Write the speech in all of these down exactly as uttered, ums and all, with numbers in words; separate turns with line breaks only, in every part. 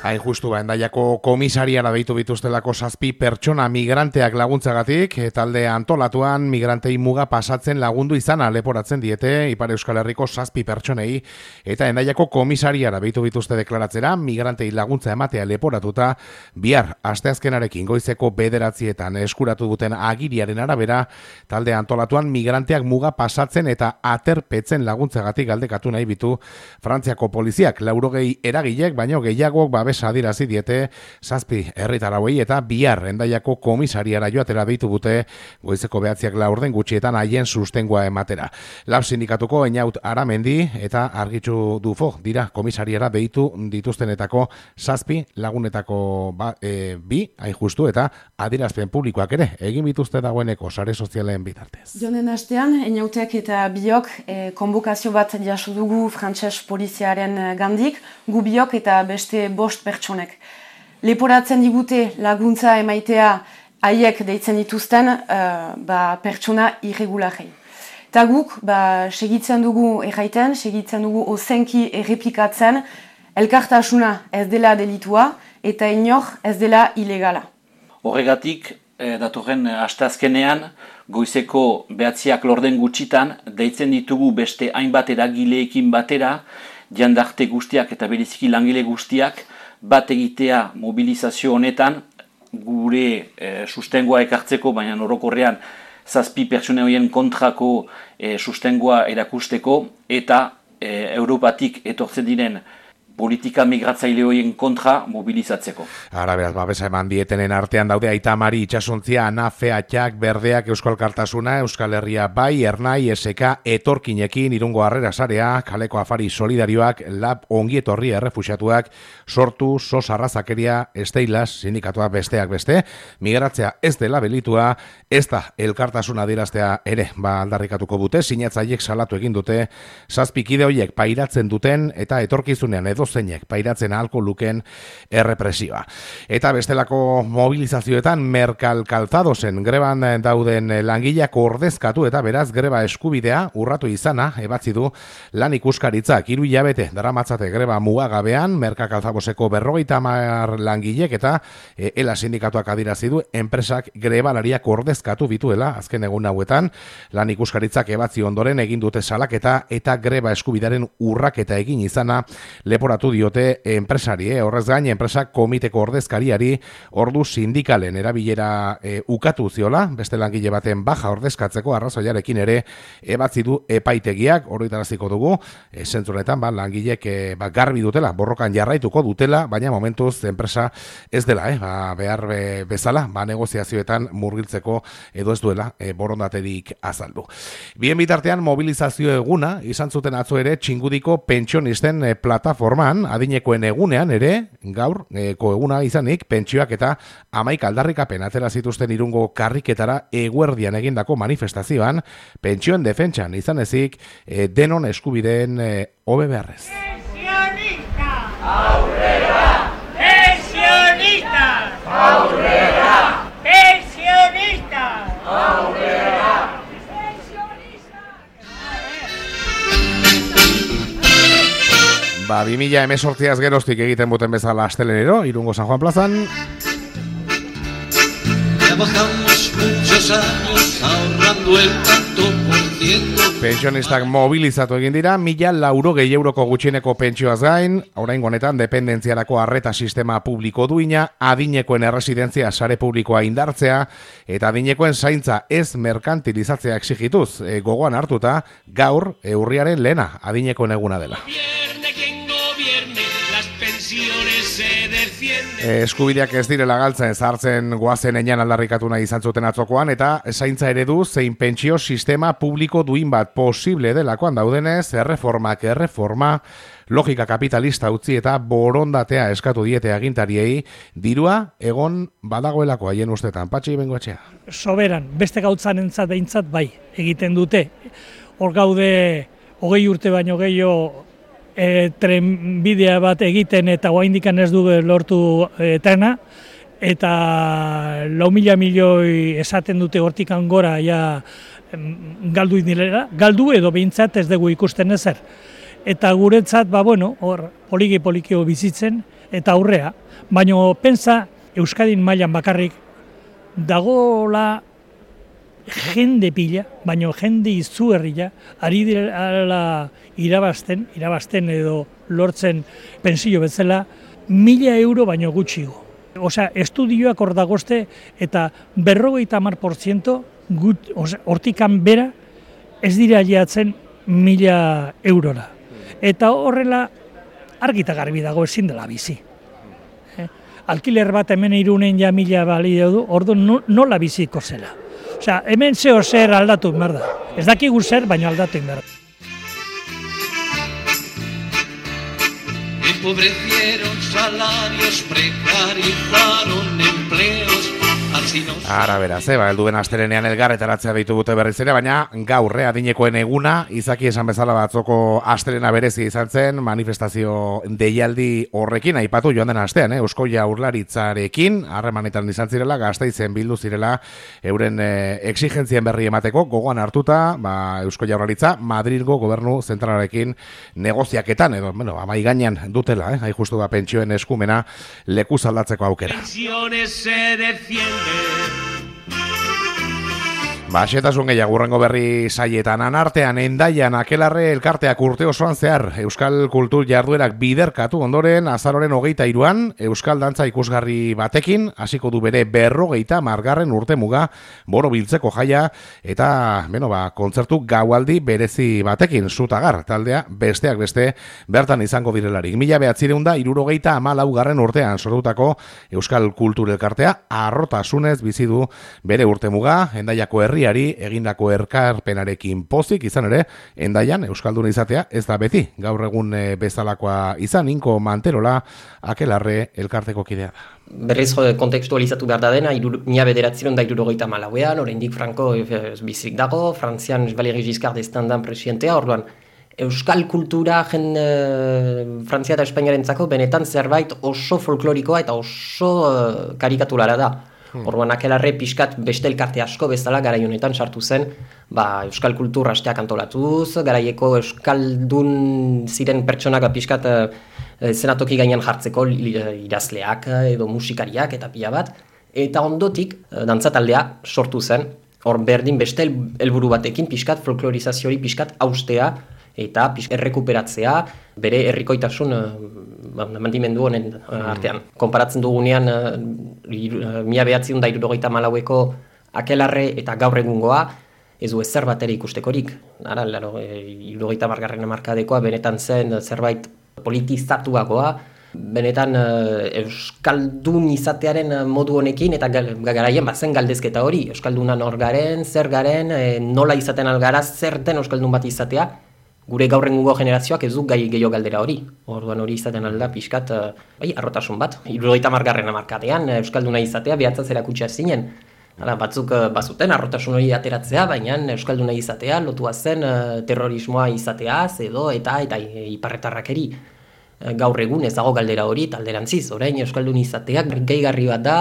Hain justu ba, Hendaiako komisariara deitu bituztelako zazpi pertsona migranteak laguntzagatik, talde antolatuan migrantei muga pasatzen lagundu izana leporatzen diete Ipar Euskal Herriko zazpi pertsonei, eta Hendaiako komisariara deitu bituzte deklaratzera migrantei laguntza ematea leporatuta, bihar asteazkenarekin goizeko bederatzietan eskuratu duten agiriaren arabera, talde antolatuan migranteak muga pasatzen eta aterpetzen laguntzagatik galdekatu nahi bitu Frantziako poliziak, laurogei eragilek, baino gehiagok babes adirazi diete zazpi herritarrauei eta bihar Hendaiako komisariara joatera deitu dute goizeko behatziak laurden gutxietan haien sustengoa ematera. Lab sindikatuko Einaut Aramendi eta Argitxu Dufo dira komisariara deitu dituztenetako zazpi lagunetako ba, e, bi, hain justu, eta adierazpen publikoak ere egin bituzte dagoeneko sare sozialen bitartez.
Jonen astean, Einautek eta biok e, konbokazio bat jaso dugu frantses poliziaren gandik, gu biok eta beste bost pertsonek. Leporatzen digute laguntza emaitea haiek deitzen dituzten uh, ba, pertsona irregularrei. Eta guk ba, segitzen dugu erraiten, segitzen dugu ozenki errepikatzen, elkartasuna ez dela delitua eta inor ez dela ilegala.
Horregatik, eh, datorren asteazkenean, goizeko behatziak lorden gutxitan, deitzen ditugu beste hainbat eragileekin batera, jandarte guztiak eta bereziki langile guztiak, bat egitea mobilizazio honetan, gure e, sustengoa ekartzeko, baina orokorrean zazpi pertsone horien kontrako e, sustengoa erakusteko, eta e, Europatik etortzen diren politika migratzaile horien kontra mobilizatzeko.
Ara beraz, babesa eman dietenen artean daude Aita Mari Itxasontzia, Anafe, Atxak, Berdeak, Euskal Kartasuna, Euskal Herria Bai, Ernai, S K, Etorkinekin, Irungo Harrera Sarea, Kaleko Afari Solidarioak, Lab Ongietorri Errefuxiatuak, Sortu, Sos Arrazakeria, Esteilas, sindikatuak besteak beste, migratzea ez dela belitua, ez da elkartasuna diraztea ere, ba aldarrikatuko dute, sinatzaiek salatu egin dute, zazpikide horiek pairatzen duten eta etorkizunean edo zeinek pairatzen ahalko luken errepresioa. Eta bestelako mobilizazioetan Merkal Calzadosen greban dauden langileak ordezkatu eta beraz greba eskubidea urratu izana ebatzi du lan ikuskaritzak. Hiru hilabete daramatzate greba mugagabean Merkal Calzadoseko berrogeita hamar langilek eta e, ela sindikatuak adirazi du enpresak grebalariak ordezkatu bituela azken egun hauetan. Lan ikuskaritzak ebatzi ondoren egin dute salaketa eta greba eskubidearen urraketa egin izana lepora diote enpresari, eh? Horrez gain, enpresak komiteko ordezkariari ordu sindikalen erabilera e, ukatu ziola, beste langile baten baja ordezkatzeko arrazoiarekin ere ebatzi du epaitegiak, horretaraziko dugu, e, zentzunetan ba, langilek e, ba, garbi dutela, borrokan jarraituko dutela, baina momentuz enpresa ez dela, eh? ba, behar be, bezala, ba, negoziazioetan murgiltzeko edo ez duela e, borondaterik azaldu. Bien bitartean, mobilizazio eguna, izan zuten atzo ere, txingudiko pentsionisten e, plataforma adinekoen egunean ere, gaur, eko eguna izanik, pentsioak eta hamaik aldarrikapen atera zituzten Irungo karriketara eguerdian egindako manifestazioan, pentsioen defentsan izan ezik, e, denon eskubideen e, hobe beharrez.
Pensionista! Aurrera! Pensionista! Aurrera! Pensionista! Aurrera!
Ba, bi mila hemezortziaz geroztik egiten buten bezala astelenero, Irungo San Juan plazan.
Trabajamos muchos años ahorrando el tanto por ciento.
Pensionistak mobilizatu egin dira, mila laurogei euroko gutxieneko pentsioaz gain, oraingo honetan dependentziarako arreta sistema publiko duina, adinekoen erresidentzia sare publikoa indartzea, eta adinekoen zaintza ez merkantilizatzea exigituz, e, gogoan hartuta, gaur, e, urriaren lehena, adinekoen eguna dela. Eskubideak ez direla galtzen zartzen goazen enean aldarrikatu nahi izan zuten atzokoan eta zaintza eredu zein pentsio sistema publiko duin bat posible delakoan daudenez, erreformak erreforma, logika kapitalista utzi eta borondatea eskatu diete agintariei, dirua egon badagoelako haien ustetan. Patxi Bengoetxea.
Soberan, beste gautzan entzat behintzat bai egiten dute. Hor gaude hogei urte baino gehiago E, trenbidea bat egiten eta oraindikan ez du lortu e, trena, eta lau mila milioi esaten dute hortikan gora ja galdu indilera, galdu edo behintzat ez dugu ikusten ezer. Eta guretzat, ba bueno, hor poliki polikio bizitzen, eta aurrea, baina pensa Euskadin mailan bakarrik dagola jende pila, baina jende izugarria, ari direla irabazten, irabazten edo lortzen pensio bezala, mila euro baino gutxigo. Osea, estudioak hor dagozte eta berrogeita hamar porziento hortikan bera ez dira aliatzen mila eurora. Eta horrela argita garbi dago ezin dela bizi. Eh? Alkiler bat hemen Irunen ja mila balio du, ordu nola biziko zela. Osea, hemen zeo zer aldatu behar da. Ez dakigu zer, baina aldatu behar da.
Empobrecieron salarios, precarizaron empleos.
Ara beraz, eh, ba, helduen astelenean elgarretaratzea ditu dute berriz ere, baina gaur adinekoen eguna, izaki esan bezala batzoko astelena berezi izan zen, manifestazio deialdi horrekin, aipatu joan den astean, eh, Eusko Jaurlaritzarekin, harremanetan izan zirela, Gasteizen bildu zirela, euren eh, exigentzien berri emateko, gogoan hartuta, ba, Eusko Jaurlaritza, Madrilgo gobernu zentralarekin negoziaketan, edo, bueno, amai gainean dutela, eh, hain justu da pentsioen eskumena leku aldatzeko aukera. Ba, xetasun gehiago urrengo berri saietan anartean Endaian Akelarre elkarteak urte osoan zehar Euskal Kultur jarduerak biderkatu ondoren azaroren hogeita hiruan Euskal Dantza ikusgarri batekin hasiko du bere berrogeita margarren urte muga borobiltzeko jaia eta beno, ba, kontzertu gaualdi berezi batekin Zutagar taldea besteak beste bertan izango direlarik. Mila behatzireun da hirurogeita hamalaugarren urtean sortutako Euskal Kultur elkartea harrotasunez bizi du bere urte muga Endaiako herri egindako erkarpenarekin pozik izan ere, Endaian euskalduna izatea ez da beti, gaur egun bezalakoa izan, Inko Manterola Akelarre elkarteko kidea da.
Berriz kontekstualizatu behar da dena, mila bederatziron da hirurogeita hamalauean, oraindik Franco bizik dago, Frantzian Valéry Giscard d'Estaing dan presidentea, orduan euskal kultura jen e, Frantzia eta Espainiarentzako benetan zerbait oso folklorikoa eta oso e, karikatulara da. Orduan Akelarre pixkat beste elkarte asko bezala garai honetan sartu zen, ba, euskal kultur asteak antolatuz, garaieko euskaldun ziren pertsonak pixkat e, zenatoki gainean jartzeko idazleak edo musikariak eta pila bat, eta ondotik dantzataldea sortu zen, hor berdin beste helburu batekin pixkat folklorizazioari pixkat haustea eta errekuperatzea bere herrikoitasun uh, mantimendu honen uh, artean. Mm. Konparatzen dugunean uh, mila behatziehun da hirurogeita hamalaueko Akelarre eta gaur egungoa ez du ezer bat ere ikustekorik. Ara, laro, hirurogeita hamargarren hamarkadekoa benetan zen zerbait politizatuagoa, benetan uh, euskaldun izatearen modu honekin eta garaien bazen galdezketa hori. Euskaldunan hor garen, zer garen, eh, nola izaten algara, zer den euskaldun bat izatea. Gure gaur egungo generazioak ez du gai gehiago galdera hori. Orduan hori izaten alda pixkat, bai, arrotasun bat. hirurogeita hamargarren hamarkadean euskalduna izatea behatzaz erakutsia zinen. Hala, batzuk bazuten arrotasun hori ateratzea, baina euskalduna izatea lotua zen terrorismoa izateaz edo eta eta iparretarrakeri. Gaur egun ez dago galdera hori talderantziz. Orain euskaldun izateak gehigarri bat da,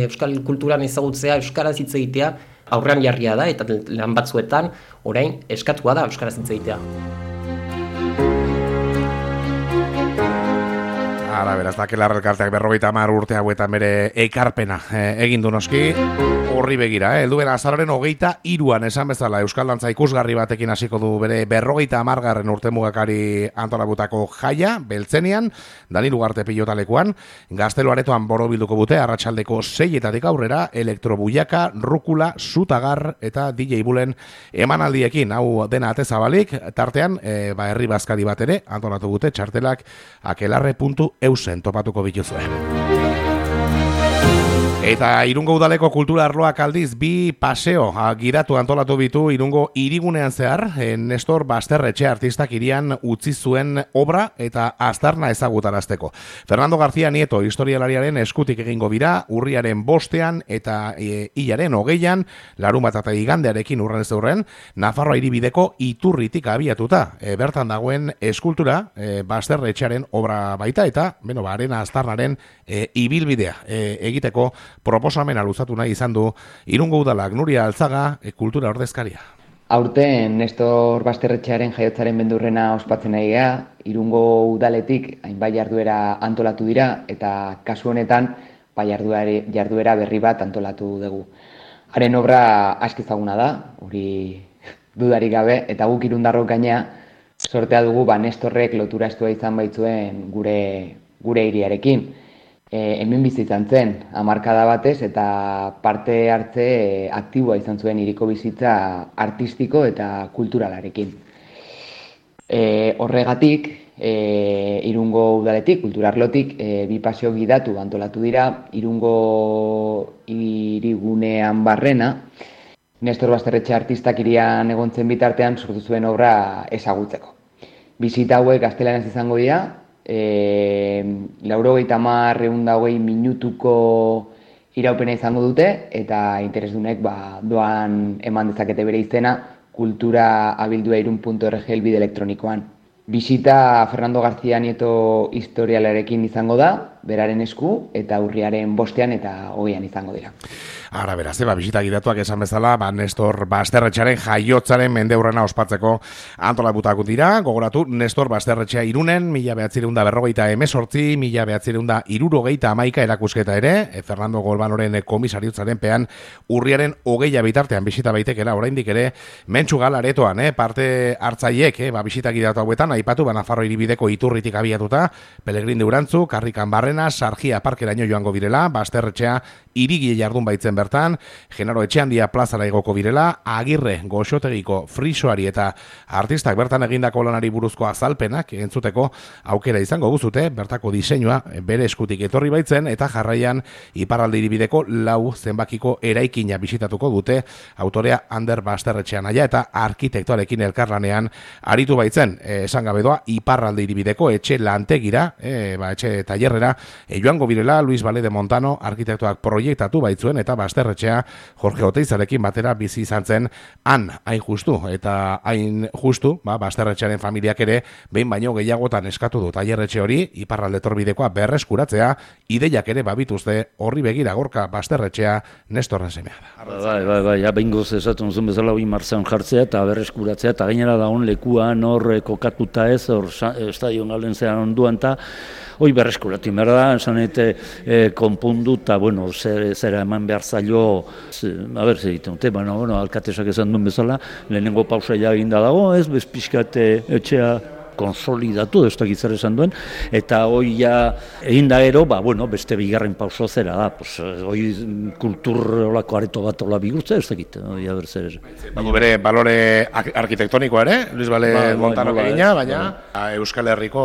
euskal kulturan ezagutzea, euskaraz hitz egitea aurrean jarria da eta lan batzuetan orain eskatua da euskaraz hitz egitea.
Ara, beraz, Akelarre elkarteak berrogeita hamar urte hauetan bere ekarpena eh, egin du noski, horri begira, eh? Helduen azaroren hogeita hiruan esan bezala Euskal Dantza ikusgarri batekin hasiko du bere berrogeita hamargarren urte mugakari antolabutako jaia, Beltzenian, Dani Lugarte pilotalekuan, Gaztelu aretoan borobilduko bute, arratsaldeko seietatik aurrera, elektrobuiaka, rukula, Zutagar eta D J Bulen emanaldiekin, hau dena ate zabalik, tartean, eh, ba, herri bazkari bat ere, antolatu dute, txartelak akelarre puntu eusen topatuko bituzuen. Eta Irungo udaleko kultura arloak aldiz bi paseo giratu antolatu bitu Irungo hirigunean zehar, Nestor Basterretxe artistak irian utzi zuen obra eta aztarna ezagutarazteko. Fernando García Nieto historialariaren eskutik egingo bira, urriaren bostean eta e, hilaren hogeian, larunbat eta igandearekin urren ez urren, Nafarroa hiribideko Iturritik abiatuta. E, bertan dagoen eskultura e, Basterretxearen obra baita eta, beno, ba, arena aztarnaren e, ibilbidea e, egiteko proposamena luzatu nahi izan du Irungo udalak. Nuria Altzaga, e, kultura ordezkaria.
Aurten Nestor Basterretxearen jaiotzaren bendurrena ospatzen nahi gea, Irungo udaletik hainbat jarduera antolatu dira eta kasu honetan ba, jarduera, jarduera berri bat antolatu dugu. Haren obra aski ezaguna da, hori dudarik gabe, eta guk Irundarrok gainea sortea dugu ba, Nestorrek lotura estua izan baitzuen gure, gure hiriarekin. E, hemen bizi izan zen, hamarkada batez, eta parte hartze e, aktiboa izan zuen hiriko bizitza artistiko eta kulturalarekin. E, horregatik, e, Irungo udaletik, kulturarlotik, e, bi paseo gidatu antolatu dira, Irungo hirigunean barrena, Nestor Basterretxe artistak hirian egontzen bitartean sortu zuen obra ezagutzeko. Bisita hauek gaztelanez izango dira, e, laurogeita hamar ehun eta hogei minutuko iraupena izango dute, eta interesdunek ba, doan eman dezakete bere izena kultura abildua irun puntu org helbide elektronikoan. Bisita Fernando García Nieto historialarekin izango da, beraren esku, eta urriaren bostean eta hogeian izango dira.
Ara, beraz, eba, bisita gidatuak esan bezala, ba, Nestor Basterretxearen jaiotzaren mendeurrena ospatzeko antolatuko dira. Gogoratu, Nestor Basterretxea Irunen, mila behatzireunda berrogeita emezortzi, mila behatzireunda irurogeita amaika erakusketa ere, e, Fernando Golbanoren komisariutzaren pean urriaren hogeia bitartean bisita baitekela, oraindik ere, mentxu galaretoan, eh, parte hartzaiek, eh, ba, bisita gidatu hauetan, aipatu, ba, Nafarro hiribideko iturritik abiatuta, Pelegrin de Urantzu, Karrikan Barrena, Sargia parkeraino joango birela, Basterretxea irigie jardun baitzen bertan, Genaro Etxeandia plazara igoko birela, Agirre Goxotegiko frisoari eta artistak bertan egindako lanari buruzko azalpenak entzuteko aukera izango guzute, bertako diseinua bere eskutik etorri baitzen, eta jarraian iparralde hiribideko lau zenbakiko eraikina bisitatuko dute, autorea Ander Basterretxea naia eta arkitektoarekin elkarlanean aritu baitzen, e, esan gabe doa, iparralde hiribideko etxe lantegira, e, ba, etxe tailerrera, e, joango birela Luis Vale de Montano arkitektoak proiektatu baitzuen, eta Basterretxea Jorge Oteizarekin batera bizi izan zen han, hain justu, eta hain justu, ba, Basterretxearen familiak ere behin baino gehiagotan eskatu du tailerretxe hori iparralde torbidekoa berreskuratzea, ideiak ere babituzte horri begira Gorka Basterretxea Nestorren semea da.
Bai, bai, bai, ja behingoz esaten zuen bezala hori martzean jartzea eta berreskuratzea, eta gainera da hon lekuan hor kokatuta ez, hor estadion galden zean onduan, eta hoi berreskuratu behar da, esan ete e, konpundu, eta bueno, zer, zera eman behar zailo, a ber, zer egiten dute, bueno, bueno, alkatesak esan duen bezala, lehenengo pausa ja eginda dago, ez, bezpixkate etxea konsolidatu, ez dakit zer esan duen, eta hoi ja egin da ero, ba, bueno, beste bigarren pauso zera da, pues, hoi kultur olako areto bat ola bigurtza, ez dakit, hoi haber zer.
Bago bere balore arkitektonikoa ere, Luis Vale ba, Montano ba, egina, baina ba. Euskal Herriko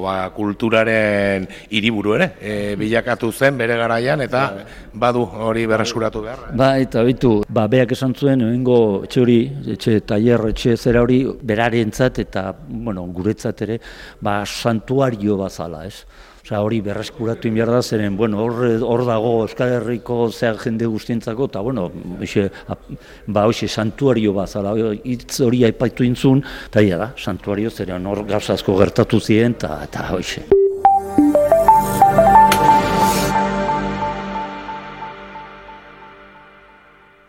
ba, kulturaren hiriburu ere, e, bilakatu zen bere garaian, eta ba. badu hori berreskuratu behar.
Ba, eta bitu, ba, beak esan zuen, egingo etxe hori, etxe tailer, etxe zera hori, berarentzat, eta, bueno, gure ere, ba, santuario bazala, ez? Osea, hori berreskuratu inbiar da, zeren, bueno, hor, hor dago Euskal Herriko zehar jende guztientzako, eta, bueno, hoxe, ba, hoxe, santuario bazala, hitz hori aipaitu intzun, eta ia da, santuario, zeren, hor gauzazko gertatu ziren, eta, eta hoxe.